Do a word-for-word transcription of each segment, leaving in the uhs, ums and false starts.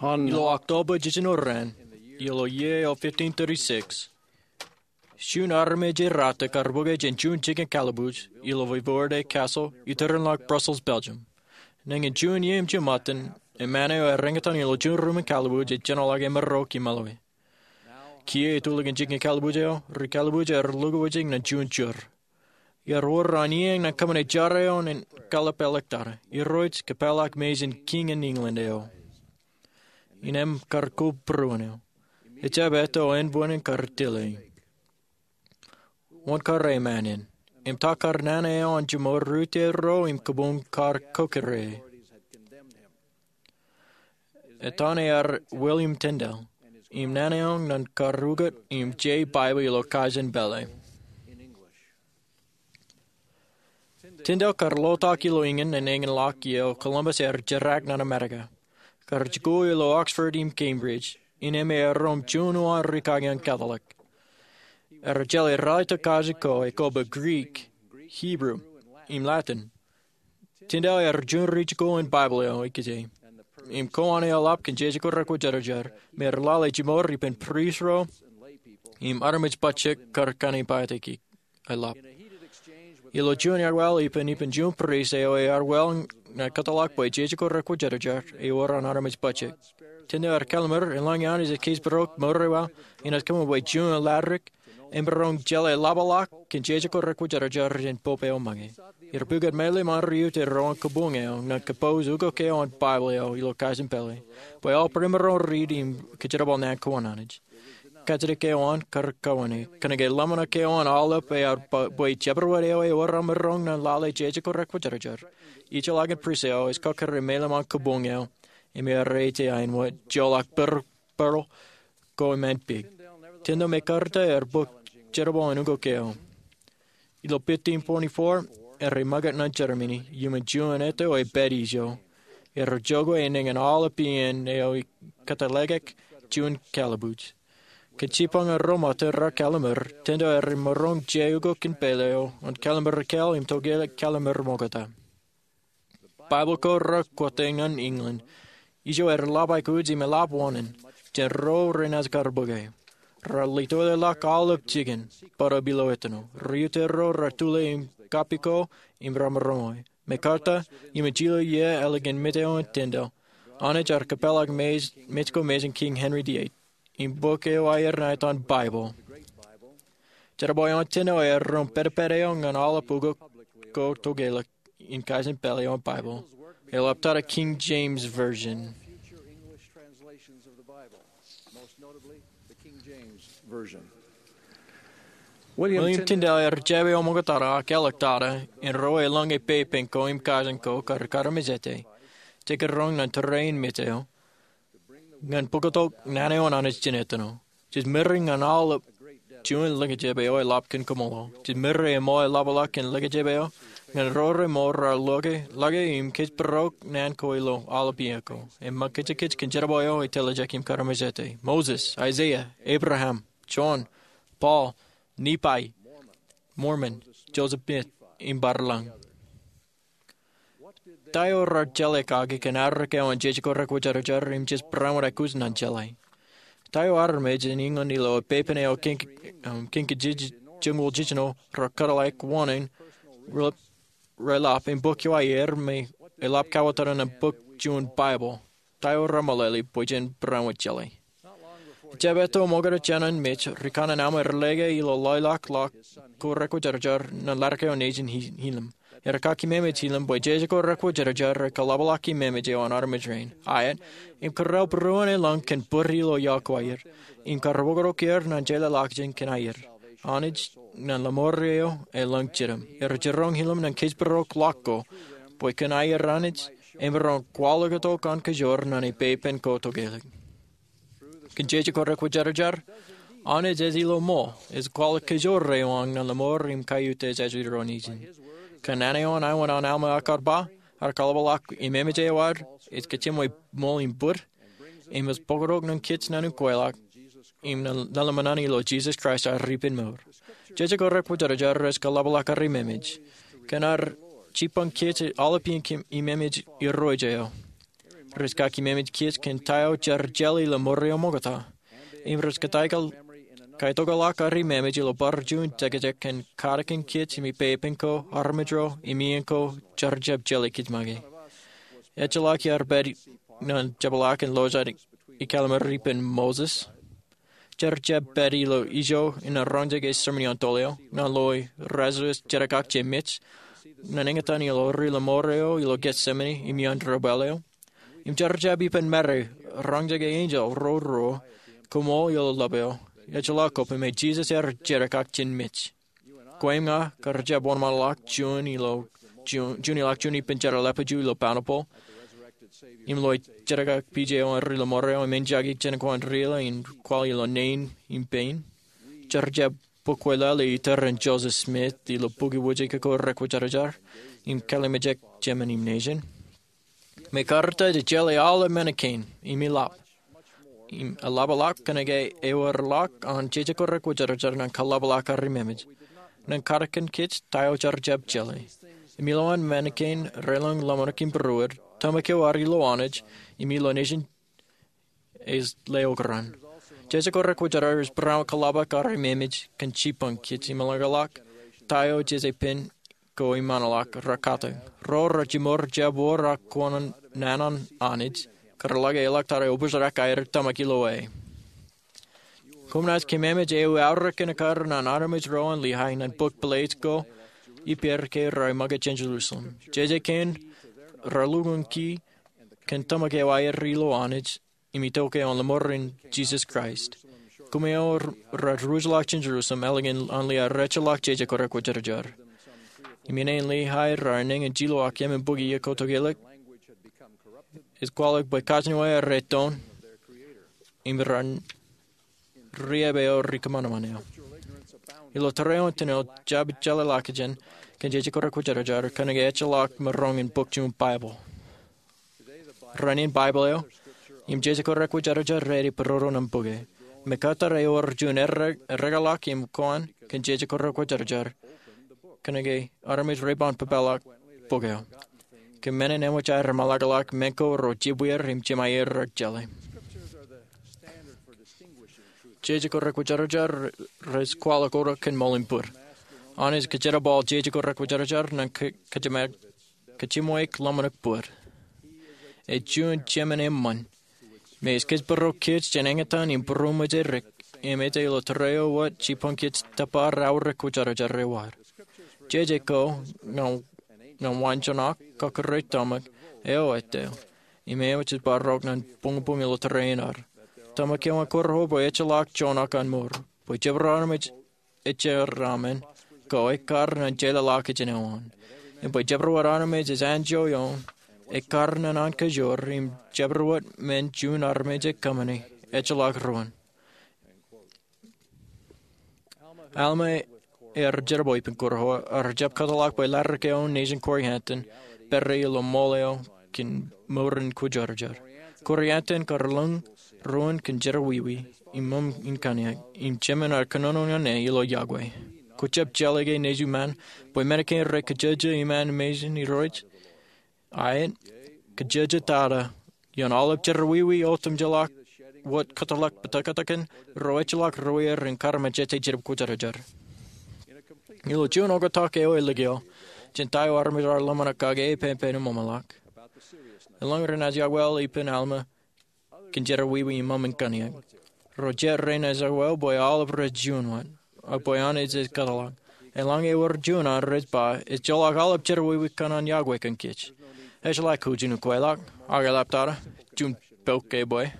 Ilo October jiljino raan, ilo iiō eo fifteen thirty-six, juon armej errā kar bōke jān juon jikin kallibuuj ilo Verde Castle, itūrin ḷọk Brussels, Belgium. Nañin juon iiō im jiṃṃa, eṃṃaan eo ear eñtaan ilo juon ruuṃ in kallibuuj ej jino ḷọk emaroñ ki ṃaḷoe. Kiiō etulōñ in jikin kallibuuj eo, ri-kallibuuj eo ear lukkuun wōjke ñan juon jor. Iar wōr an iiō ñan kōṃṃane jar eo in kallib āliktata, Irooj, kōpeḷḷọk mejān kiiñ in England eo. Innām kar kub būruon eo. Ejjab eto ānbwinnin kar tile. Wōn kar eṃṃaan in? Im ta kar naan eo an jiṃor rūtto ro im kōbuñ kar kokōrā e? Etan ear William Tyndale, im naan eo ñan kar ukōt im je Baibōḷ ilo kajin pālle. Tyndale kar lotak ilo eñin in eñin ḷọk iiō Columbus ear jerak ñan Amerika. Kar jikuuḷ ilo Oxford im Cambridge, innām ear roñ juon uwaan rikañin Catholic. Ear jeḷā ralitōk kajin ko ekoba Greek, Hebrew, im Latin. Tyndale ear juon ri-jikuuḷ in Baibōḷ eo ikijjien. Im ko an eḷap kōn jeje ko rekwōjarjar, im ear lale jiṃor ippān priest ro im armej bajjek kar kanooj bajjek eḷap. Ilo juon eawaḷ ippān ippān juon priest eo eawaḷ, ña kōtḷọk bwe jeje ko rekwōjarjar ewōr an armej bajjek. Tyndale ear kallimur, eḷaññe Anij ej kōjparok mour eo aō, inaaj kōṃṃan bwe juon latrik emaroñ jeḷā ḷapḷọk kōn jeje ko rekwōjarjar jān Pope eo ṃōñā. Iar pukot meḷeḷe im riutiej ro an kōbuñ eo ñan kōpooj ukok eo an Baibōḷ eo ilo kajin pālle, bwe aolep remaroñ riit im kōjerbal naan ko an Anij. Kajjitōk eo an kar kawōṇe. Kōnke ḷōmṇak eo an aolep ear ba bwe jabdewōt eo ewōr aō maroñ ñan lale jeje ko rekwōjarjar, ijellọkin priest eo ej kọkkure meḷeḷe an kōbuñ eo, im ear etein wōt joḷọk peroḷ ko iṃaan pik. Tyndale me Carlota ear bōk jerbal in ukok eo. Ilo fifteen twenty-four, erro ṃakūt ñan Germany iuṃwin juon eto epād ijo. Erro jokwe enañin aolep iien eo ikōttālōkḷọk juon kallibuuj. Kōn jipañ eo ro Ṃōttan raar kallimur, Tyndale erro maroñ je ukok in pālle eo an kallimur ikōḷ im tokālik kallimur ṃoktata. Baibōḷ ko raar kwote ñan England. Ijo erro ḷap aikuj im eḷap wōṇāān jān ro renaaj kar bōke. Raar litoḷọk aolep jikin, bōtab ilo etōṇo. Riutiej ro raar tule im kappoko im raar maroñ e. Me Carlota, iuṃwin jilō iiō ālikin mej eo an Tyndale, Anij ear kōpeḷḷọk mej, mej ko mejān Kiiñ Henry the Eighth im bok eo aer ṇa etan Baibōḷ. Jerbal eo an Tyndale ear roñ pedped eo ñan aolep ukok ko tokālik in kajin pālle eo an Baibōḷ. Eḷaptata King James Version. William Tyndale ear jab eo ṃoktata ak āliktata in ro eḷaññe pepen ko im kajin ko kar karamejete. Jekdọọn ñan tōre in mej eo ñan bōktok naan eo an Anij jān etōṇo. Jej ṃōrā ñan aolep juon lōñjab eo eḷap kōn kōṃṃool. Jej ṃōrā eṃṃool ḷapḷọk kōn lōñjab eo ñan ro reṃool raar lọke, lọke im kōjparok naan ko ilo aolep iiō ko. Im ṃōk kōjkōj kōn jerbal eo ej tōljek im karamejete. Moses, Isaiah, Abraham, John, Paul, Nephi, Mormon, Joseph Smith, im bar lañ. Ta eo raar jeḷā kake kōn arrik eo an jeje ko rekwōjarjar im jej barāinwōt aikuj ñan jeḷā? Ta eo armej in England ilo epepen eo kōn, um, kōn kōj, joñoul jiljino raar kōtḷọk wōṇāān, rej ḷap im bōk eo aer me eḷap kawōtata ñan bōk juon Baibōḷ? Ta eo raar meḷeḷe bwe jen barāinwōt jeḷā? Jab eto ṃokta jān an mej, ri-kanaan Alma relōke ilo laḷḷọk ḷọk ko rekwōjarjar ñan laddik eo nejin Hi-, Helam. Erro kakememej Helam bwe jeje ko rekwōjarjar ej kaḷapḷọk ememej eo an armej rein. Aet, im kōrā būruon elōñ kōn bōd ilo iọkwe er, im kar bōktok er ñan jeḷā ḷọkjeṇ kōn aier. Anij ñan lemñoul eo elōñ jidim. Erro jiroñ Helam ñan kōjparok ḷọk ko, bwe kōn aier Anij, emaroñ kwaḷọk tok an kajoor ñan epepen ko tokālik. Kōn jeje ko rekwōjarjar, Anij ej ilo ṃool, ej kwaḷọk kajoor eo an ñan lemñoul im kaiutiej ajri ro nejin. Kōn naan eo an aolep aṃ Alma ekkar ba, ear kaḷapḷọk ememej eo ad, ej kōjjeṃwe ṃool im bōd, im ej bōktok ñan kōj naan in kweilọk, im ñan lale ṃōṇōṇō ilo Jisōs Kraist ad ippān mour. Jeje ko rekwōjarjar ej kaḷapḷọk ad ememej. Kōn ad jipañ kōj aolep iien kōm ememej Irooj eo. rej kaki memeej kiiō kōn ta eo jar jeḷā ilo ṃōrro eo ṃokta. Im rej kaitokḷọk armej ilo bar juon jekjek kōn katakin kiiō im ippān ko, armej ro, im iien ko jar jab jeḷā kōj make. Ejjeḷọk iar pād ñan jepḷaak in lojas ikōḷmānḷọkjeṇ ippān Moses. Jar jab pād ilo ijo in roñjake sermon in toḷ eo, ñan lo Lasarus jerkakjemej, ñan eñtaan ilo ri ḷōṃaro eo ilo Getsemane im iaan debwāāl eo. Im jar jab ippān Mari, roñjake enjeḷ ro ruo, koṃṃool ilo ḷap eo, ejjeḷọk koba me Jisōs ear jerkakjemej. Kwe im ña kar jab wōnṃaanḷọk juon ilo, juon, juon ilọk juon ippān jerbal ḷapḷap eo ilo Bountiful, im lo jerkakpeje eo an ri ḷōṃaro eo im enjake jān kōn riḷọk in kwaḷọk ilo neen im pein. Jar jab bōk kweilale iturin Joseph Smith ilo bukwi wōjke ko Rekwōjarjar, im kallimjek jemān im nejin. Im ekkarōk ej jeḷā aolep men kein, im eḷap. Im eḷapḷọk kōnke eor ḷọk an jeje ko Rekwōjarjar ñan kaḷapḷọk armej. Ñan katakin kiiō ta eo jar jab jeḷā. Im ilowaan men kein relōñ ḷōmṇak im būruod, tōmak eo ear ilo Anij, im ilo nejin ej lewōj ran. Jeje ko Rekwōjarjar ej bareinwōt kaḷapḷọk armej kōn jibboñ kiiō im eḷapḷọk ta eo jeje pen ko im eḷapḷọk rekatak. Ro rej jiṃor jab wōr ak kuṇaan an Anij, kar ḷak eḷak tata obujrak aer tōmak ilo e. Koṃ naaj kememej ewi aorōk in ekkar ñan armej ro an Lehi ñan bōk pilej ko ippāer ke rej make jān Jerusalem. Jeje kein relukkuun kiiō kōn tōmak eo aer ilo Anij im itok eo an ḷōṃaro in Jisōs Kraist. Koṃ eo rej ruj ḷọk jān Jerusalem, eḷaññe an Lehi rej ejjeḷọk jeje ko Rekwōjarjar. Im āne in Lehi rej enañin jilọk im bōk iiō ko tokālik, ej kwaḷọk bwe kajin eo rej toon, im rej riab eo ri kōṃanṃan eo. Ilo tōre eo an tōn eo, jab jeḷā ḷọkjeṇ kōn jeje ko Rekwōjarjar kōnke ejjeḷọk maroñ in bōk juon Baibōḷ. Rainin Baibōḷ eo im jeje ko Rekwōjarjar rein ej būrodo ñan bōke. Im ekkar eor juon errā, errā ḷọk im koan kōn jeje ko Rekwōjarjar kōnke armej rej ban pepeḷḷọk bōk eo. Kōn men in eṃōj aer ṃōḷaḷḷọk men ko ro jibwier im jemāer rej jeḷā. Jeje ko Rekwōjarjar rej kwaḷọk ro kōn ṃool im bōd. Anij kōjerapaḷ jeje ko Rekwōjarjar ñan kō-, kōjeṃae kōjeṃweik ḷōmṇak bōd. Ej juon jemān eṃṃan. Im ej kōjparok kōj jān eñtaan im būroṃōj erik, im ej ilo tōre eo wōt jibboñ kōj tōpar aorōk kwōjarjar ewōr. Jeje ko ñan, ñan waanjoñak, kọkkure tōmak, eo ettā. Im eo ej parok ñan buñbuñ ilo tōre in ad. Tōmak eo an kwōjro bwe ejjeḷọk joñak an mour. Bwe jabdewōt armej ejeraṃṃan ko ekkar ñan jeḷā ḷọkjeṇ eo an. Im bwe jabdewōt armej ej anjọ ioon, ekkar ñan an kajoor, im jabdewōt men juon armej ekōṃṃane, ejjeḷọk ruōn. Alma ear jerbal ippān kwōjro, ear jab kōtḷọk bwe ladik eo nejin Corianton, pād ilo ṃool eo kōn mour in kwōjarjar. Corianton kar lōñ ruōn kōn jerọwiwi, im ṃōṃ in kōṇiōk, im jemān ear kōnono ñan e ilo yokwe. Kwō jab jeḷā ke nejūṃaan, bwe men kein rej kajjitōk iṃaan mejān Irooj? Aet, kajjitōk tata, ioon aolep jerọwiwi otemjeḷọk wōt kōtḷọk bōtōktōkin, ro ejjeḷọk ruwaier in kar ṃōjete Jetōb Kwōjarjar. Ilo juon oktak eo elikio, jān ta eo armej ear ḷōmṇak kake epepen im ṃōṃaḷọk. Eḷaññe renaaj yokwe ippān Alma kōn jerọwiwi im ṃōṃ in kōṇiōk, ro jet renaaj yokwe bwe aolep rej juon wōt, ak bwe Anij ej kōtḷọk. Eḷaññe ewōr juon an rej ba, ejjeḷọk aolep jerọwiwi kōṇaan yokwe kōn kōj. Ejjeḷọk aikuj in ukweḷọk, ak eḷap tata, juon pok ke bwe.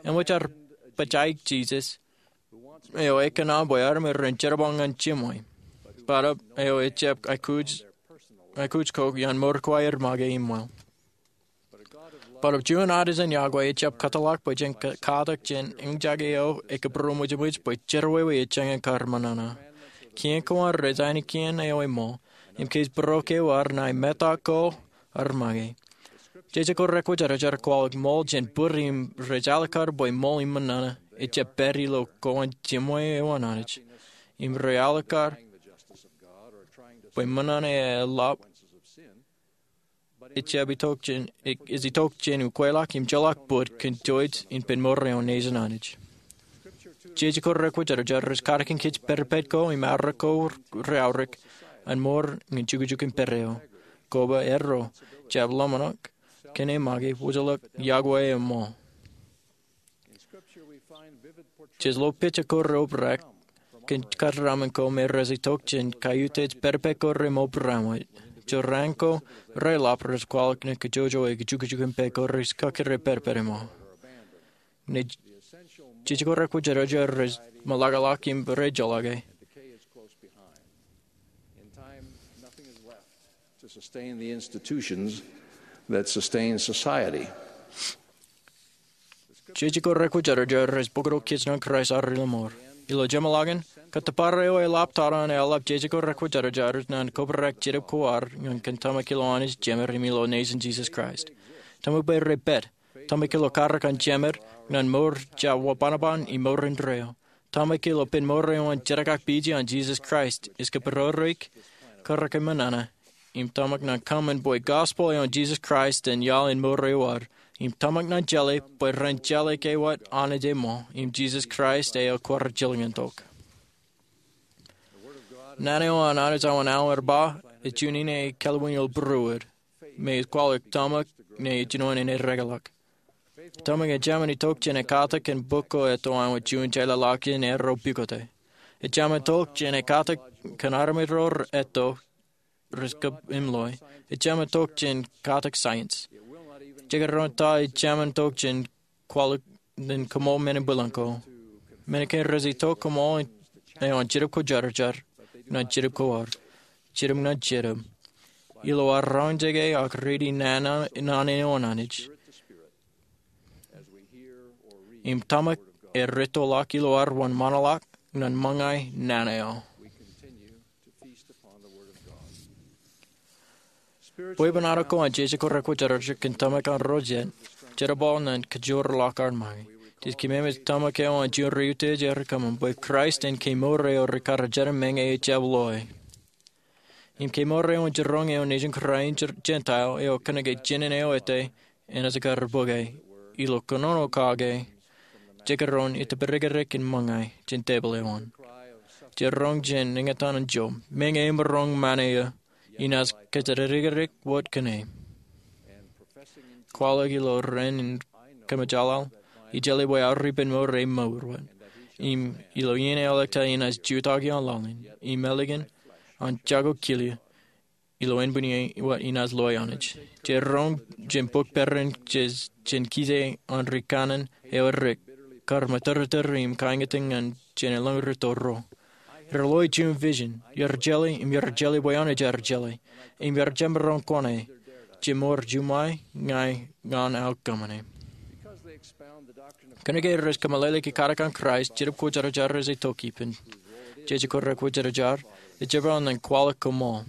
Eṃōj aer bōjrak Jisōs, eo ekōṇaan bwe armej ren jerbal ñan jiṃwe. Bōtab eo ejjab aikuj, aikuj ko iaan mour ko aer make im ṃweo. Bōtab juon Anij in yokwe ejjab kōtḷọk bwe jen ka-, katak jān eñjake eo ekabūroṃōjṃōj bwe jerọwiwi ejjañin kar ṃōṇōṇō. Kien ko an rej ainikien eo eṃṃool, im kōjparok eo ear ṇae metak ko ear make. Jeje ko Rekwōjarjar kwaḷọk ṃool jān bōd im rej alikkar bwe ṃool im ṃōṇōṇō ejjab pād ilo ko an jiṃwe eo an Anij. Im rej alikkar bwe ṃōṇōṇō eḷap ejjab itok jān, ej itok jān ukweḷọk im joḷọk bōd kōn jouj in pen mour eo an nejin Anij. Jeje ko rekwōjarjar rej kadik kōj pād pād ko im arro ko reaorōk an mour ñan jukjuk in pād eo. Koba, erro, jab ḷōmṇak, kōn e make, wōjḷọk, yokwe im ṃool. Jej lo picture ko reobrak kōn kōjeraṃṃan ko me rej itok jān kaiutiej pād pād ko remour būraṃōj. Jorrāān ko reḷap rej kwaḷọk ñan kōjwōj eo e jukjuk in pād ko rej kōkkure pād pād ṃō. Ñe jeje ko rekwōjarjar rej ṃōḷaḷḷọk im rej joḷọke, to sustain the institutions that sustain society. Jeje ko rekwōjarjar rej bōktok kōj ñan Kraist ad ri-lọmọọr. Ilo jeṃḷọkin, kōttōpar eo eḷap tata an eḷap jeje ko rekwōjarjar ej kobrak jedep ko ad ñan kōn tōmak ilo Anij Jemed im ilo nejin Jisōs Kraist. Tōmak bwe repād, tōmak ilo karōk an Jemed ñan mour jab wōnṃaanṃaan im mour indeeo. Tōmak ilo pen mour eo an jenaaj kar pije an Jisōs Kraist ej kōpooreik, kōrā ke ṃōṇōṇō, im tōmak ñan kōṃṃan bwe gospel eo an Jisōs Kraist en iaḷ in mour eo ad, im tōmak ñan jeḷā bwe ren jeḷā ke wōt Anij e ṃool, im Jisōs Kraist eo kwōj jilkintok. Naan eo an Anij awa aolep ba, ej juon in e kaḷwin ilo būruod, me ej kwaḷọk tōmak ñe ej jino en ereḷọk. Tōmak ej jemān itok jān ekkatak kōn bok ko etto awa juon jeḷāḷọkjeṇ erro pukot e. Ej jemān itok jān ekkatak kōn armej ro etto rej kab im loe. Ej jemān itok jān katak science. Jekdọọn ta ej jemān itok jān kwaḷọk in kōṃṃool men in bwilōñ ko. Men kein rej itok kōṃṃool eo an jedep kwōjarjar, ñan jedep ko ad, jedep ñan jedep. Ilo ad roñjake ak riiti naan eo an Anij, im tōmak erreo ḷọk ilo ad wōnṃaanḷọk ñan ṃōñā naan eo. Bwebwenato ko an jeje ko rekwōjarjar kōn tōmak an ro jet, jerbal ñan kōjorḷọk ad ṃōñā. Jej kememej tōmak eo an juon ri-utiej eo rekōṃṃan bwe Kraist en kemour eo rekarijeraṃṃan ñe ejab loe. Im kemour eo an jiroñ eo nejin kōrā in Gentile eo kōnke jinen eo ete enaaj kar bōke, ilo kōnono kake, jekdọọn ej tōpar dik in ṃōñā jān tepil eo an. Jiroñ jān eñtaan in Job, meñe emaroñ ṃane eō, inaaj kōjatdikdik wōt kōn e. Kwaḷọk ilo ren in kōmejāḷaḷ, ijeḷā bwe aorōk ippān mour e mour wōt. Im ilo iien eḷọkta inaaj jutak ioon laḷ in, im ālikin, an jako kilōk, ilo ānbwinniō wōt inaaj loe Anij. Jiroñ jān bok peran jān kise an ri kanaan eo edik, kar mōtōrtōr im kañitik ñan jān elōñ rūtto ro. Ij loe juon vision, iar jeḷā, im iar jeḷā bwe Anij ear jeḷā, im iar jab maroñ kōṇaan, jab mour juṃae ña ñan aō kōṃṃane. Kōnke rej kōmeḷeḷeiki katak an Kraist, jedep kwōjarjar ej itok ippān jeje ko rekwōjarjar, ej jerbal ñan kwaḷọk kōṃṃool.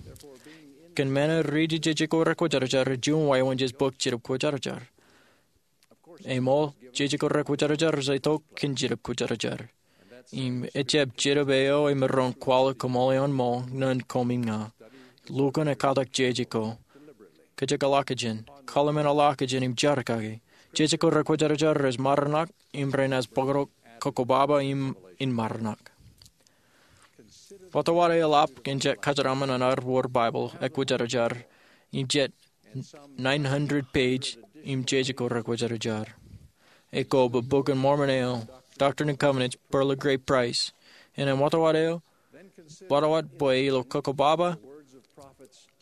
Kōn men eo riiti jeje ko rekwōjarjar ej juon wāween jej bōk jedep kwōjarjar. Eṃool, jeje ko rekwōjarjar ej itok kōn jedep kwōjarjar. Im ejjab jedep eo emaroñ kwaḷọk kōṃṃool eo an ṃool ñan koṃ im ña. Lukkuun ekkatak jeje ko. Kajjioñ ḷọk jān, kōḷmānḷọk jān im jar kake. Jeje ko rekwōjarjar rej maroñak, im renaaj bōktok kōkobaba im in maroñak. Wōt wōt eḷap kōn jet kōjeraaṃṃan an ad wōr Baibōḷ ekwōjarjar, im jet nine hundred page im jeje ko rekwōjarjar. Ekwe bwe Bok in Mormon eo, Doctrine and Covenants, Pearl of Great Price. Innām wōt wōt eo, wōt wōt bwe ilo kōkobaba,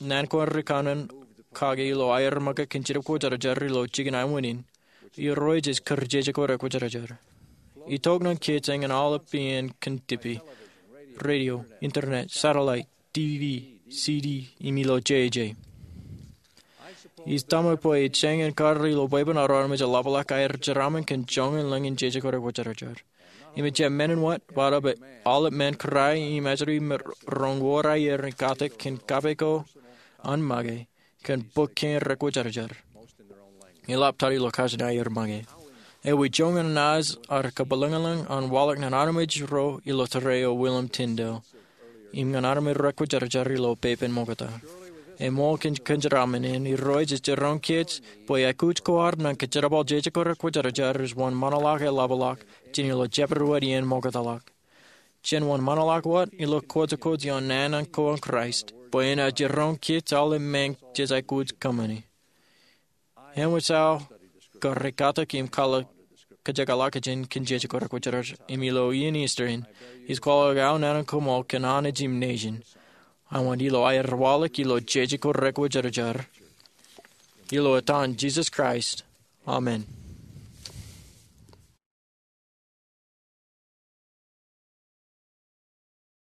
naan ko an ri kanaan kake ilo aer ṃōkaj kōn jedep kwōjarjar ilo jikin aelōñ in, irooj ej kar jeje ko rekwōjarjar. Itok ñan kōj ñan aolep iien kōn tipi, radio, internet, satellite, D V D, C D, im ilo jeje. Ij tōmak bwe ej jañin kar ilo bwebwenato armej eḷapḷọk aer jeraaṃṃan kōn joñan lōñ in jeje ko rekwōjarjar. Im ejjab men in wōt, bōtab aolep men kōrā im ajri im roñ wōr aer in katak kōn kape ko an make, kōn bok kein rekwōjarjar. Eḷap tata ilo kajin aer make. Ewi joñan naaj ad kabwilōñlōñ an waḷọk ñan armej ro ilo tōre eo William Tyndale, im ñan armej rekwōjarjar ilo pepen ṃoktata. Eṃool kōn kōjeraaṃṃan in, Irooj ej jiroñ kōj bwe aikuj ko ad ñan kōjerbal jeje ko rekwōjarjar ej wōnṃaanḷọk eḷapḷọk jān ilo jabdewōt iien ṃoktaḷọk. Jen wōnṃaanḷọk wōt ilo kōjkōj ioon naan an ko an Kraist bwe en aō jiroñ kōj aolep meñ jej aikuj kōṃṃani. Eṃōj aō kōrekatak im kwaḷọk kōjeḷāḷọkjeṇ kōn jeje ko rekwōjarjar im ilo iien Ister in, ij kwaḷọk aō naan in koṃṃool kōn Anij im Nejin, āinwōt ilo aer waḷọk ilo jeje ko rekwōjarjar, ilo etan Jisōs Kraist, amen.